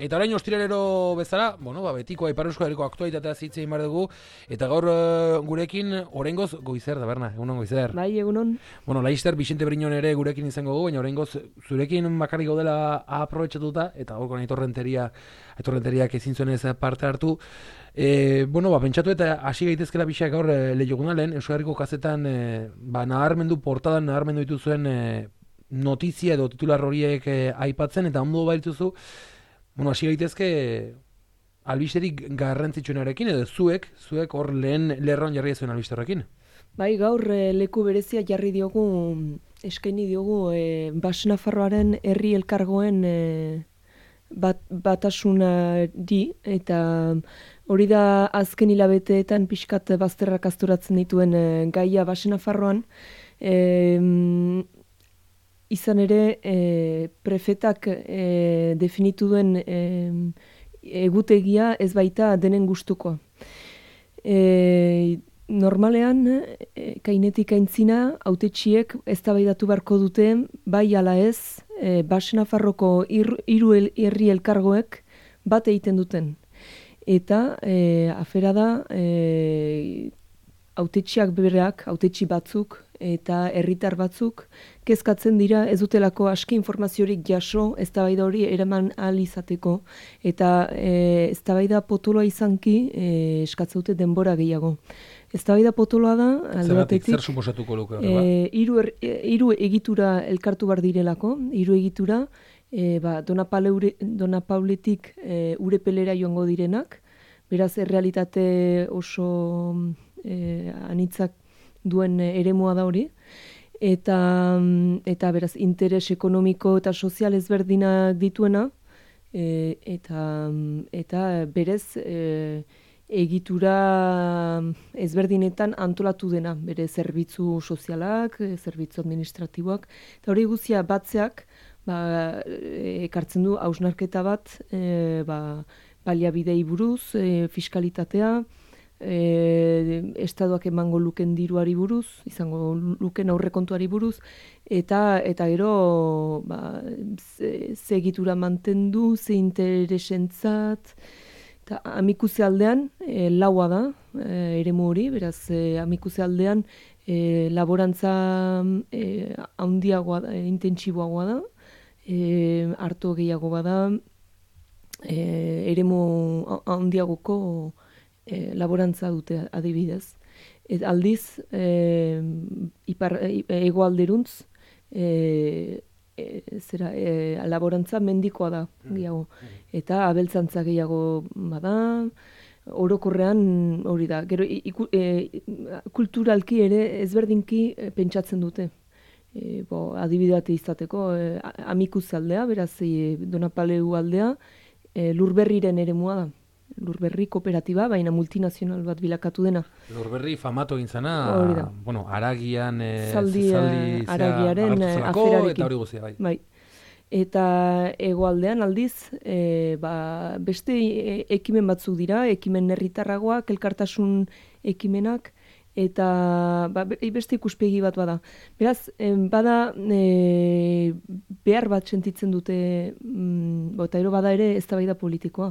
Eta orain ostiralero bezala, betikoa Ipar Euskal Herriko aktualitatea hitz egin behar dugu, eta gaur gurekin oraingoz Goizer da, Berna, egunon Goizer. Bai, egunon. Laster Bixente Briñon ere gurekin izango gu, baina oraingoz zurekin bakarrik gaudela aprobetxatuta, eta gaurko aitorrenteriak ezin zuen ez parte hartu. Pentsatu eta hasi gaitezkela pixak gaur Leiogunalen, Euskal Herriko kazetan portadan naharmendu dituzuen notizia edo titular horiek aipatzen, eta ondo baituzu, hasi gaitezke albisterik garrantzitsuenarekin, edo zuek hor lehen lerroan jarri zuen albisterrekin. Bai, gaur leku berezia jarri diogu, eskaini diogu Baxe Nafarroaren herri elkargoen batasunari, eta hori da azken hilabeteetan pixkat bazterrak asturatzen dituen gaia Baxe Nafarroan. Izan ere, prefetak definitu duen egutegia ez baita denen gustukoa. Normalean, kainetik aintzina, hautetsiek eztabaidatu beharko dute, bai ala ez, Baxe Nafarroko hiru herri elkargoek bat egiten duten. Eta afera da, hautetsiak bereak, hautetsi batzuk, eta herritar batzuk kezkatzen dira ez dutelako aski informaziorik jaso eztabaida hori eraman ahal izateko, eta eztabaida potoloa izanki eskatzen dute denbora gehiago. Eztabaida potoloa da alde batetik zer suposatuko luke hiru egitura elkartu bar direlako, hiru egitura Dona Pauletik Urepelera joango direnak, beraz errealitate oso anitzak duen eremua da hori, eta beraz interes ekonomiko eta sozial ezberdinak dituena, eta berez egitura ezberdinetan antolatu dena, bere zerbitzu sozialak, zerbitzu administratiboak, eta hori guztia batzeak ekartzen du hausnarketa bat, baliabidei buruz, fiskalitatea, estatuak emango luken diruari buruz, izango luken aurrekontuari buruz, eta gero ze egitura mantendu, ze interesentzat, eta Amikuze aldean laua da, eremu hori, beraz Amikuze aldean laborantza handiagoa da, intentsiboagoa da, harto gehiago bada, eremu handiagoko laborantza dute adibidez. Aldiz, hegoalderuntz, laborantza mendikoa da gehiago. Eta abeltzantza gehiago bada, orokorrean hori da. Gero, kulturalki ere ezberdinki pentsatzen dute. Adibidate izateko, Amikuze aldea, beraz Donapaleu aldea, Lurberriren eremua da. Lurberri kooperatiba, baina multinazional bat bilakatu dena. Lurberri famatu egin zana, Aragian zaldi Aragiaren aferarekin. Eta hori guztia, bai. Eta hegoaldean aldiz, beste ekimen batzuk dira, ekimen herritarragoak, elkartasun ekimenak, eta beste ikuspegi bat bada. Beraz, bada behar bat sentitzen dute, eta ero bada ere eztabaida politikoa.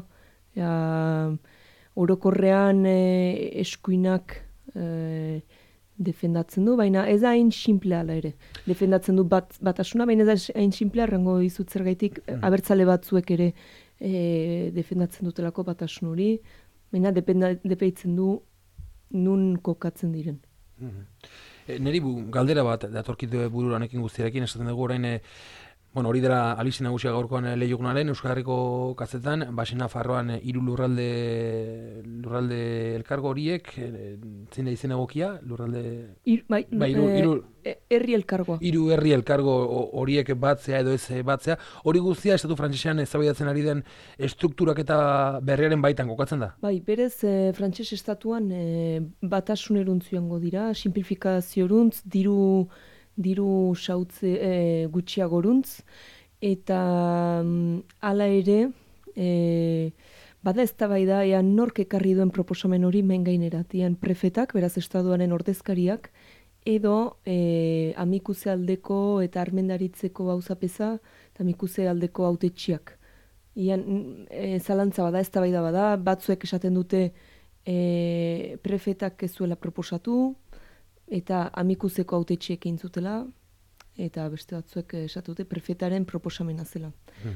Orokorrean eskuinak defendatzen du, baina ez da hain simplea ala ere. Defendatzen du batasuna, baina ez da hain simplea, errango dizut zergaitik, abertzale batzuek ere defendatzen dutelako batasun hori, baina depeitzen du nun kokatzen diren. Neri galdera bat datorkit bururanekin guztiarekin, esaten dugu orain, hori dela albiste nagusia gaurkoan Leiogunalen, Euskal Herriko kazetan, Baxe Nafarroan hiru lurralde elkargo horiek, zein da izen egokia? Herri elkargoa. Hiru herri elkargo horiek batzea edo ez batzea, hori guztia estatu frantsesean eztabaidatzen ari den estrukturak eta berriaren baitan kokatzen da? Bai, berez frantses estatuan batasuneruntz joango dira, simplifikazioruntz, diru sautze gutxiagoruntz, eta hala ere, bada eztabaida ean nork ekarri duen proposamen hori main gainerat, ean prefetak, beraz estatuaren ordezkariak, edo Amikuze aldeko eta armendaritzeko gauzapeza, eta Amikuze aldeko hautetsiak. Ian, zalantza bada, eztabaida bada, batzuek esaten dute prefetak ez zuela proposatu, eta amikuzeko hautetxiek egin zutela, eta beste batzuek esatu dute prefetaren proposamena zela.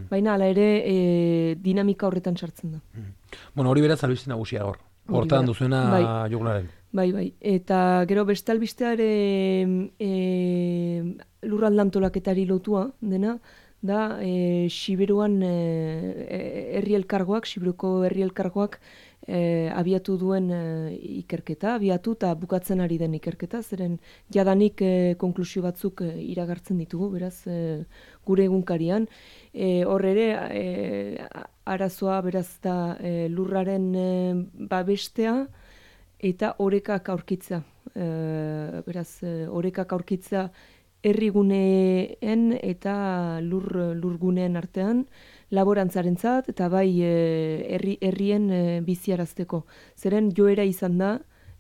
Baina hala ere dinamika horretan sartzen da. Bueno, hori beraz albiste nagusia hor. Hortan duzuena joglaren. Bai. Eta gero beste albisteare lurraldantolaketari lotua dena, da Siberuan herri elkargoak, Siberuko herri elkargoak abiatu duen ikerketa, abiatu eta bukatzen ari den ikerketa, zeren jadanik konklusio batzuk iragartzen ditugu, beraz gure egunkarian. Hor ere, arazoa beraz da lurraren babestea eta orekak aurkitza. Beraz, orekak aurkitza herriguneen eta lurguneen artean, laborantzarentzat eta bai herrien biziarazteko. Zeren joera izan da,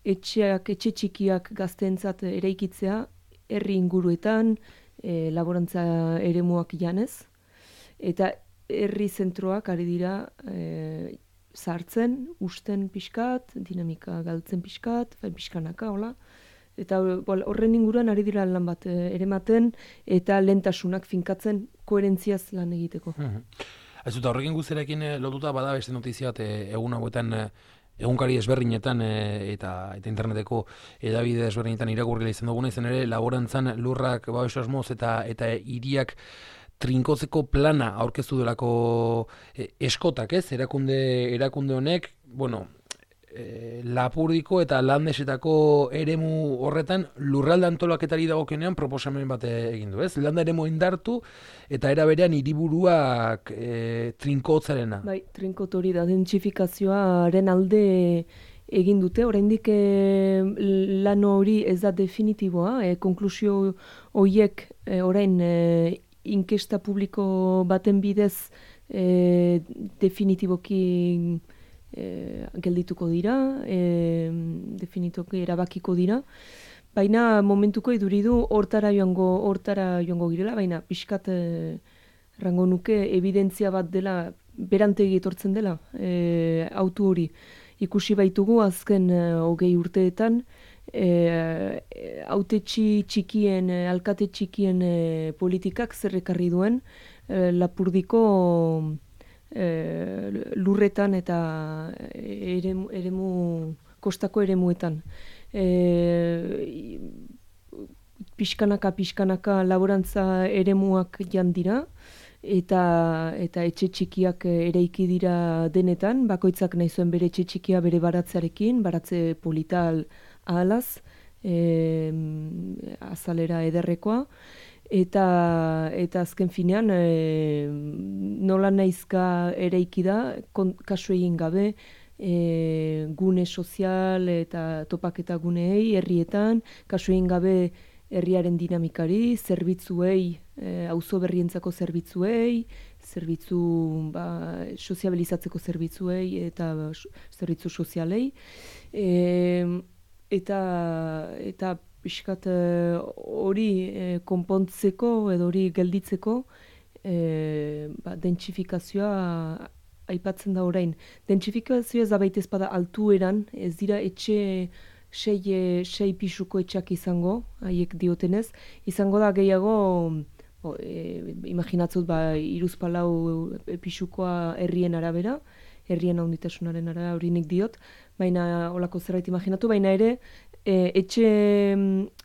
etxe txikiak gazteentzat eraikitzea, herri inguruetan, laborantza eremuak janez, eta herri zentroak ari dira sartzen, usten pixkat, dinamika galtzen pixkat, pixkanaka, hola. Eta horren inguruan ari dira lan bat erematen eta lentasunak finkatzen koherentziaz lan egiteko. Ez dut, horrekin guztiarekin lotuta bada beste notizia bat egun hauetan egunkari ezberdinetan eta interneteko edabide ezberdinetan irakurri izan duguna, izan ere laborantzan lurrak babes asmoz eta hiriak trinkotzeko plana aurkeztu delako eskotak, ez? Erakunde honek, bueno, Lapurdiko eta Landesetako eremu horretan lurralde antolaketari dagokionean proposamen bat egin du, ez? Landa eremu indartu eta era berean hiriburuak trinkotzarena. Bai, trinkot hori da, dentsifikazioaren alde egin dute, oraindik lan hori ez da definitiboa, konklusio horiek orain inkesta publiko baten bidez definitiboki geldituko dira, definitoki erabakiko dira, baina momentuko iduridu hortara joango girela, baina pixkat rango nuke evidentzia bat dela, berantegi etortzen dela, autu hori. Ikusi baitugu azken 20 urteetan, hautetxi txikien, alkate txikien politikak zerrekarri duen, Lapurdiko lurretan eta kostako eremuetan. Pixkanaka laborantza eremuak jan dira, eta etxe txikiak eraiki dira denetan, bakoitzak nahi zuen bere etxe txikia bere baratzearekin, baratze polital ahalaz, azalera ederrekoa, eta azken finean nola naizka eraiki da, kasu egin gabe, gune sozial eta topaketa guneei herrietan, kasu egin gabe herriaren dinamikari, zerbitzuei, auzo berrientzako zerbitzuei, soziabilizatzeko zerbitzuei eta zerbitzu sozialei, eta pixkat hori konpontzeko edo hori gelditzeko dentsifikazioa aipatzen da orain. Dentsifikazioa ez da baita ezpada altueran, ez dira etxe sei pisuko etxak izango, haiek diotenez, izango da gehiago, imaginatzut 3-4 pisukoa herrien arabera, herrien handitasunaren arabera hori nik diot, baina holako zerbait imaginatu, baina ere etxe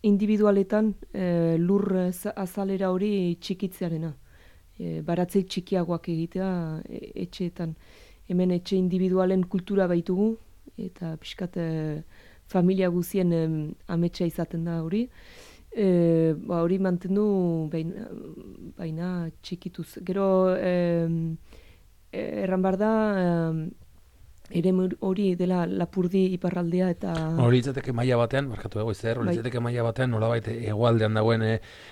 individualetan lur azalera hori txikitzearena. Baratzei txikiagoak egitea etxeetan. Hemen etxe individualen kultura baitugu, eta pixkat familia guzien ametsa izaten da hori. Hori mantendu baina txikituz. Gero erran behar da ere hori dela Lapurdi iparraldea eta... Hori litzateke maila batean, barkatu dago izer, hori litzateke maila batean nolabait hegoaldean dagoen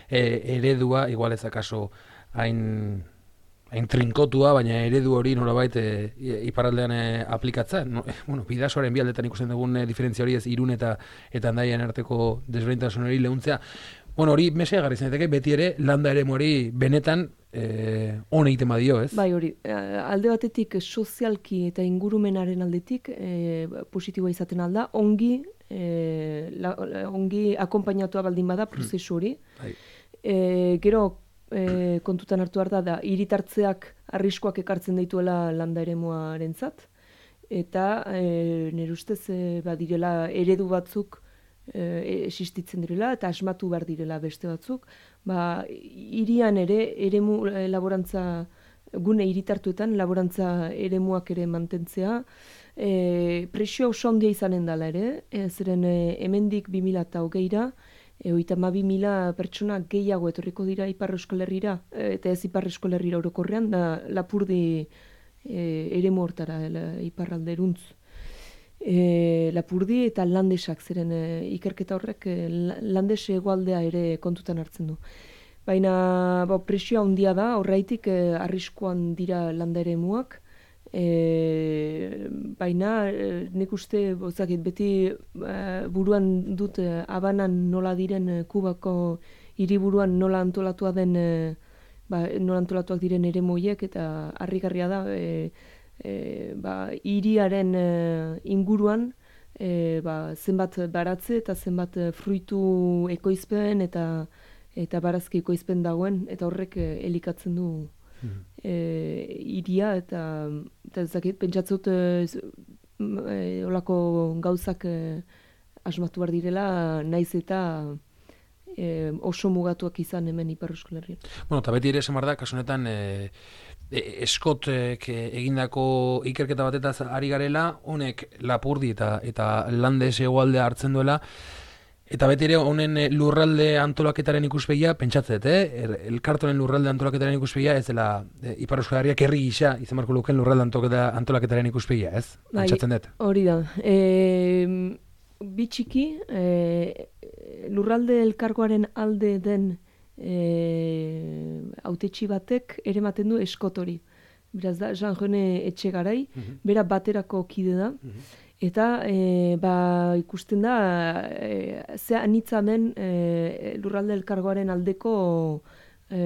eredua, igual ez akaso hain trinkotua, baina eredu hori nolabait iparraldean aplikatzen. Bidasoaren bi aldetan ikusten dugun diferentzia hori ez Irun eta Hendaian arteko desberdintasun hori lehuntzea. Hori mesea garri zeneteke, beti ere landa eremu hori benetan on egiten badio, ez? Bai, hori, alde batetik sozialki eta ingurumenaren aldetik positiboa izaten alda, ongi akonpainatua baldin bada prozesu hori. Bai. Gero kontutan hartu behar da hiritartzeak arriskuak ekartzen dituela landa eremuarentzat, eta nire ustez badirela eredu batzuk existitzen direla eta asmatu behar direla beste batzuk. Hirian ere eremu laborantza gune hiritartuetan laborantza eremuak ere mantentzea, presio oso handia izanen dela ere, zeren hemendik 2020ra 32.000 pertsona gehiago etorriko dira Ipar Euskal Herrira, eta ez Ipar Euskal Herrira orokorrean, da Lapurdi eremu hortara, iparralderuntz. Lapurdi eta landesak, zeren ikerketa horrek landes hegoaldea ere kontutan hartzen du. Baina presioa handia da, horreitik arriskuan dira landa eremuak, baina nik uste beti buruan dut Habanan nola diren Kubako hiriburuan nola antolatua den nola antolatuak diren eremuiek, eta harrigarria da hiriaren inguruan zenbat baratze eta zenbat fruitu ekoizpen eta barazki ekoizpen dagoen, eta horrek elikatzen du hiria, eta ezakit, pentsatzut olako gauzak asmatu behar direla, naiz eta oso mugatuak izan hemen Ipar Euskal Herrian. Bueno, eta beti ere esan behar da, kasu honetan Eskotek egindako ikerketa batetaz ari garela, honek Lapurdi eta Landes hegoaldea hartzen duela, eta beti ere honen lurralde antolaketaren ikuspegia, pentsatzet, elkartonen lurralde antolaketaren ikuspegia, ez dela Ipar Euskal Herriak herri gisa izan beharko lukeen lurralde antolaketaren ikuspegia, ez? Pentsatzen dut. Hori da. Bitxiki, lurralde elkargoaren alde den hautetsi batek ere ematen du Eskotori. Beraz da, Jean-René Etxegarai, bera baterako kide da, eta ikusten da ze anitza den lurralde elkargoaren aldeko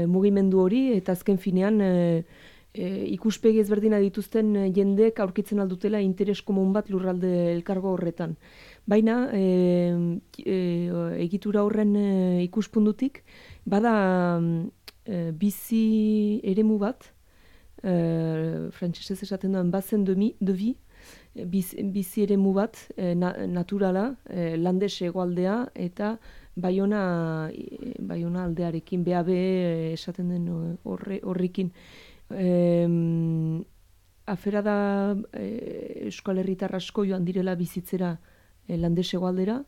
mugimendu hori, eta azken finean ikuspegi ezberdina dituzten jendeek aurkitzen aldutela interes komun bat lurralde elkargo horretan. Baina egitura horren ikuspundutik bada bizi eremu bat, frantsesez esaten duen bazen de vie, bizi eremu bat naturala, Landes hegoaldea eta Baiona aldearekin, BAB esaten den horrekin. Afera da Euskal Herritar asko joan direla bizitzera Landes hegoaldera,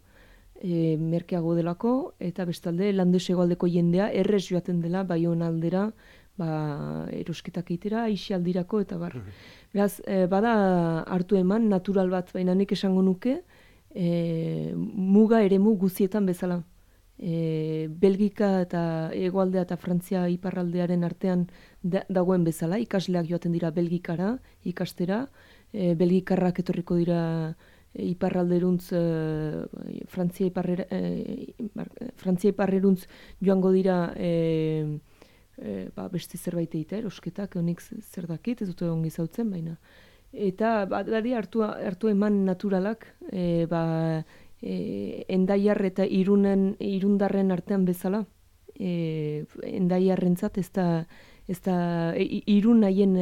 merkeago delako, eta bestalde Landes hegoaldeko jendea errez joaten dela Baiona aldera, erosketak eitera, aisialdirako eta bar. Beraz, bada hartu eman natural bat, baina nik esango nuke, muga eremu guzietan bezala. Belgika eta hegoaldea eta Frantzia iparraldearen artean dagoen bezala, ikasleak joaten dira Belgikara ikastera, belgikarrak etorriko dira iparralderuntz, Frantzia iparreruntz joango dira beste zerbait egitea, erosketak, honik zer dakit, ez dute ongi zautzen, baina. Eta badi hartu eman naturalak, Endaiar eta Irundarren artean bezala, Endaiarrentzat ez da Irun haien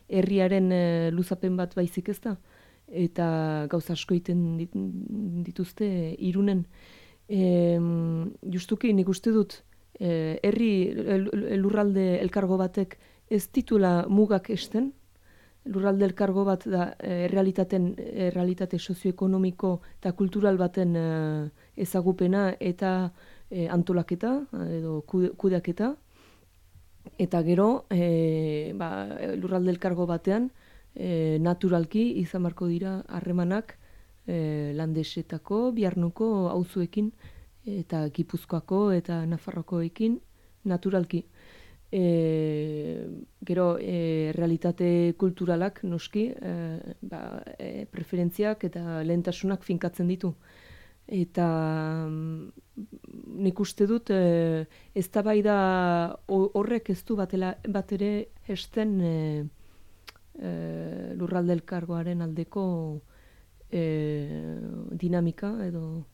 herriaren luzapen bat baizik ez da, eta gauza asko egiten dituzte Irunen. Justuki nik uste dut lurralde elkargo batek ez ditula mugak esten. Lurralde elkargo bat da errealitate sozioekonomiko eta kultural baten ezagupena eta antolaketa edo kudeaketa. Eta gero lurralde elkargo batean naturalki izan beharko dira harremanak Landesetako, Biarnoko auzoekin eta Gipuzkoako eta Nafarroakoekin naturalki. Gero realitate kulturalak noski preferentziak eta lehentasunak finkatzen ditu. Eta nik uste dut eztabaida horrek ez du bat ere esten lurralde elkargoaren aldeko dinamika edo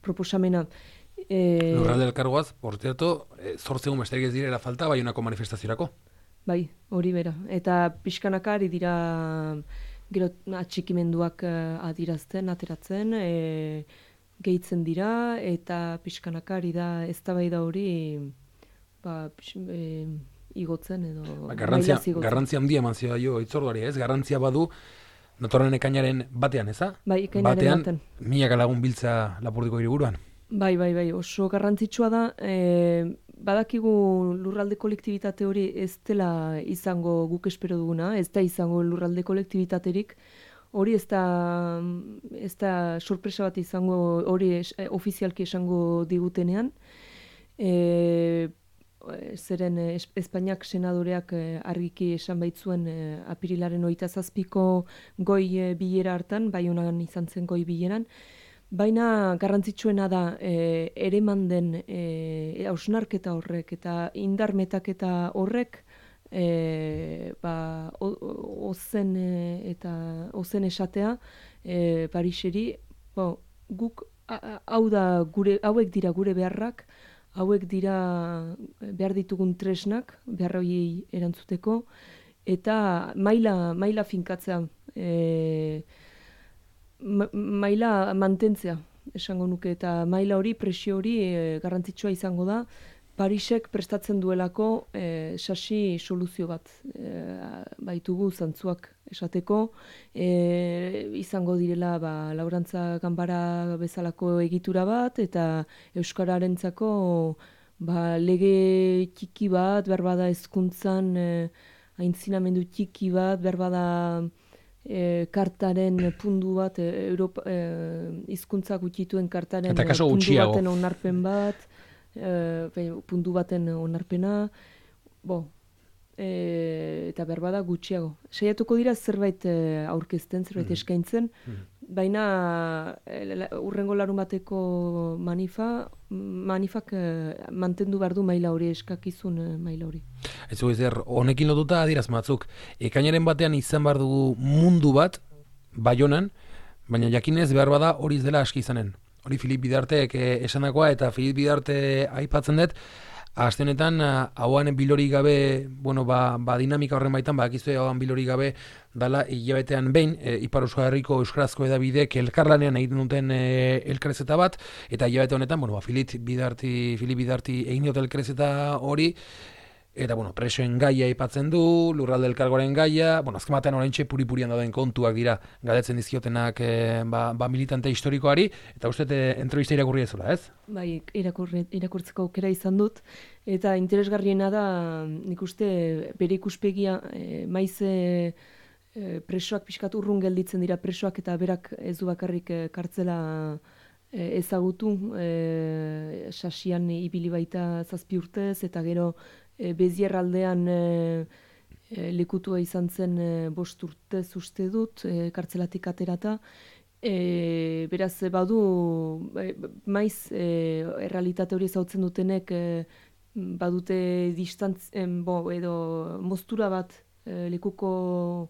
proposamena. Lurralde elkargoaz, por cierto, 8 egun besterik ez direla falta Baionako manifestaziorako. Bai, hori bera. Eta pixkanaka ari dira gero atxikimenduak adirazten, ateratzen, gehitzen dira, eta pixkanaka ari da eztabaida hori igotzen edo garrantzia handia eman zio jo hitzorduari, ez? Garrantzia badu datorren ekainaren batean, eza? Bai, ekainaren batean. Milaka lagun biltza Lapurdiko hiriburuan. Bai, oso garrantzitsua da. Badakigu lurralde kolektibitate hori ez dela izango guk espero duguna, ez da izango lurralde kolektibitaterik. Hori ez da sorpresa bat izango, hori ofizialki esango digutenean. Zeren Espainiak senadoreak argiki esan baitzuen apirilaren 27ko goi bilera hartan, Baionan izan zen goi bileran. Baina garrantzitsuena da ereman den hausnarketa horrek eta indar metaketa horrek ozen esatea Pariseri, guk hauek dira gure beharrak, hauek dira behar ditugun tresnak, behar horiei erantzuteko, eta maila finkatzea, maila mantentzea, esango nuke, eta maila hori, presio hori garrantzitsua izango da, Parisek prestatzen duelako sasi soluzio bat baitugu zantzuak esateko, izango direla laborantza ganbara bezalako egitura bat, eta euskararentzako lege txiki bat, berbada hezkuntzan aintzinamendu txiki bat, berbada kartaren pundu bat, hizkuntza gutxituen kartaren puntu baten onarpen bat, puntu baten onarpena, eta berbada gutxiago. Saiatuko dira zerbait aurkezten, zerbait eskaintzen, baina hurrengo larun bateko manifak mantendu behar du maila hori, eskakizun maila hori. Ez honekin lotuta adiraz batzuk, ekainaren batean izan behar dugu mundu bat, Baionan, baina jakinez behar bada hori ez dela aski izanen. Hori Filip Bidartek esandakoa, eta Filip Bidarte aipatzen dut, aste honetan hauan bilori gabe, dinamika horren baitan, bakizue hauan bilori gabe dala hilabetean behin, Ipar Euskal Herriko euskarazko edabidek elkarlanean egiten duten elkarrezeta bat, eta hilabete honetan, Filip Bidarti egin dut elkarrezeta hori, eta presoen gaia aipatzen du, lurralde elkargoaren gaia, azken batean oraintxe puri-purian dauden kontuak dira galdetzen dizkiotenak militante historikoari, eta uste entrevista irakurri ezula, ez? Bai, irakurtzeko aukera izan dut, eta interesgarriena da, nik uste bere ikuspegia, maiz presoak pixkat urrun gelditzen dira presoak, eta berak ez du bakarrik kartzela ezagutu, sasian ibili baita 7 urtez, eta gero Bezier aldean lekutua izan zen 5 urtez uste dut, kartzelatik aterata. Beraz, badu, maiz errealitate hori ezautzen dutenek badute edo moztura bat lekuko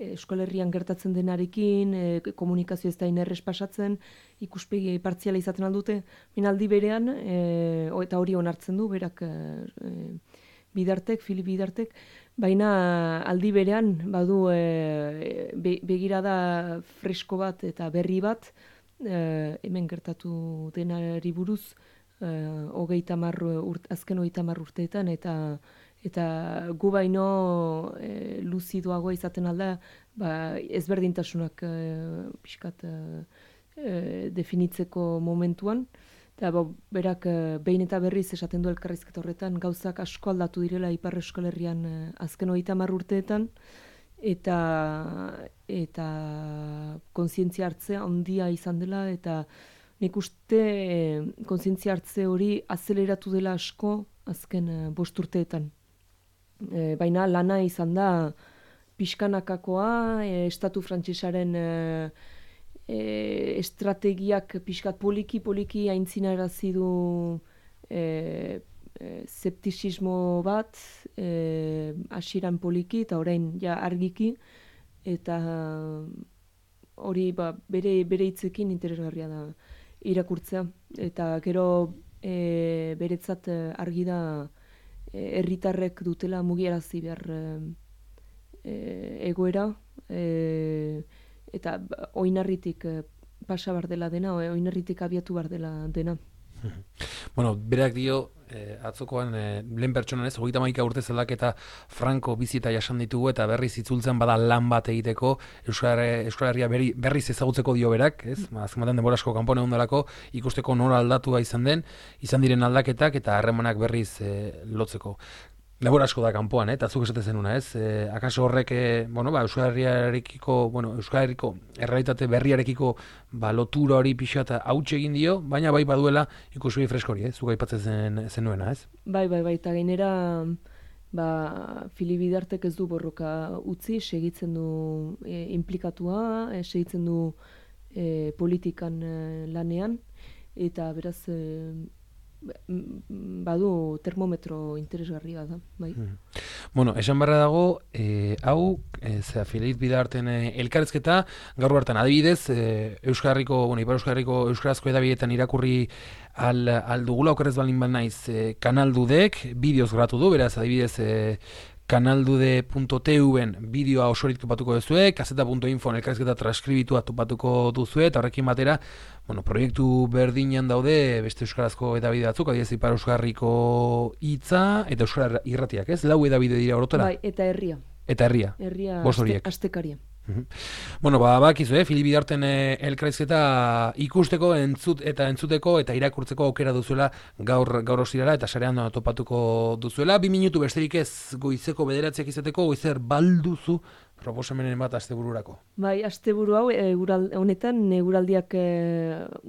Euskal Herrian gertatzen denarekin, komunikazio ez da inerrez pasatzen, ikuspegi partziala izaten aldute, minaldi berean, eta hori onartzen du, berak Filip Bidartek, baina aldi berean badu begirada fresko bat eta berri bat, hemen gertatu denari buruz, azken 30 urteetan, eta gu baino luzidoagoa izaten alda, ezberdintasunak pixkat definitzeko momentuan, eta berak behin eta berriz esaten du elkarrizketa horretan, gauzak asko aldatu direla Ipar Euskal Herrian azken 30 urteetan, eta kontzientzia hartzea handia izan dela, eta nik uste kontzientzia hartze hori azeleratu dela asko azken 5 urteetan. Baina lana izan da pixkanakakoa, estatu frantsesaren estrategiak pixkat poliki aintzinarazi du zeptizismo bat, hasieran poliki eta orain ja argiki, eta hori bere hitzekin interesgarria da irakurtzea. Eta gero beretzat argi da herritarrek dutela mugiarazi behar egoera, eta oinarritik pasa bar dela dena, oinarritik abiatu bar dela dena. Bueno, berak dio, atzokoan lehen pertsonan ez, 31 urte zelak eta Franco bizita jasan ditugu eta berriz itzultzen bada lan bat egiteko, Euskal Herria berriz ezagutzeko dio berak, ez? Azken batean denbora asko kanpone ondalako, ikusteko nora aldatua izan diren aldaketak eta harremanak berriz lotzeko. Labor asko da kanpoan, eta zuk esate zenuna, ez? Akaso horrek, Euskal Herriarekiko, Euskal Herriko errealitate berriarekiko lotura hori pixat hautsi egin dio, baina bai baduela ikusui freskori, zuk aipatzen zenuena, ez? Bai, eta gainera Fili Bidartek ez du borroka utzi, segitzen du implikatua, segitzen du politikan lanean, eta beraz badu termometro interesgarria da, bai. Bueno, esan barra dago, hau, Fili Bidarten elkarrezketa, gaur hartan adibidez, Euskal Herriko, Ipar Euskal Herriko euskarazko edabideetan irakurri aldugula, okerrez balin bat naiz, kanaldudek, bideoz grabatu du, beraz, adibidez, kanaldude.tv-en bideoa osorik topatuko duzue, kaseta.info elkarrizketa transkribitua topatuko duzue, eta horrekin batera, proiektu berdinean daude beste euskarazko edabide batzuk, adibidez Ipar Euskal Herriko hitza eta Euskal Irratiak, ez? 4 edabide dira orotara. Bai, eta herria. Eta herria. Bost horiek. Astekaria. Bakizu, Fili Bidarten elkarrizketa ikusteko, entzuteko eta irakurtzeko aukera duzuela gaur ostirala eta sarean topatuko duzuela. 2 minutu besterik ez goizeko 9 izateko, goizer balduzu proposamenen bat astebururako. Bai, asteburu hau honetan eguraldiak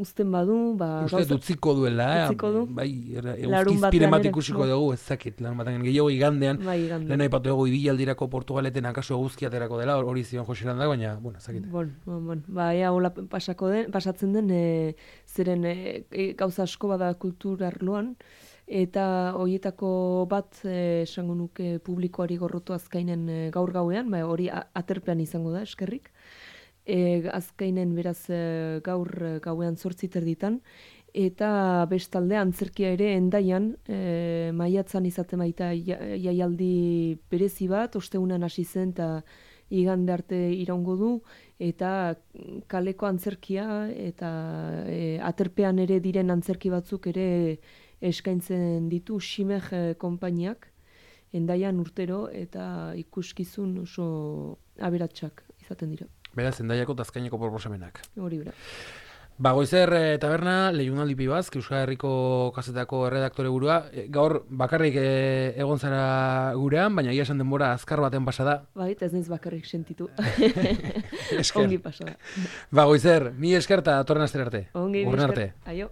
uzten badu, uste utziko duela, bai, eguzkizpire bat ikusiko dugu, ez zakit, lan batean gehiago igandean, lehen aipatu dugu ibilaldirako Portugaleten akaso eguzkiaterako dela, hori zion Joseran da, baina, zakit. Hola pasatzen den, zeren gauza asko bada kultur arloan, eta horietako bat esango nuke publikoari gorrotu azkainen gaur gauean, hori aterpean izango da, eskerrik. Azkainen beraz gaur gauean 8:30, eta bestalde antzerkia ere Hendaian maiatzan izaten baita jaialdi berezi bat, ostegunean hasi zen eta igande arte iraungo du, eta kaleko antzerkia eta aterpean ere diren antzerki batzuk ere eskaintzen ditu Ximer konpainiak Hendaian urtero, eta ikuskizun oso aberatsak izaten dira. Beraz, Hendaiako eta Azkaineko proposamenak. Hori bera. Goizer taberna, Lehiunaldi Pibazk, Euskal Herriko kazetako erredaktore burua. Gaur bakarrik egon zara gurean, baina ia esan denbora azkar baten pasada. Bai, eta ez naiz bakarrik sentitu. Ongi pasada. Goizer, mi esker eta torren astera arte. Ongi, esker. Aio.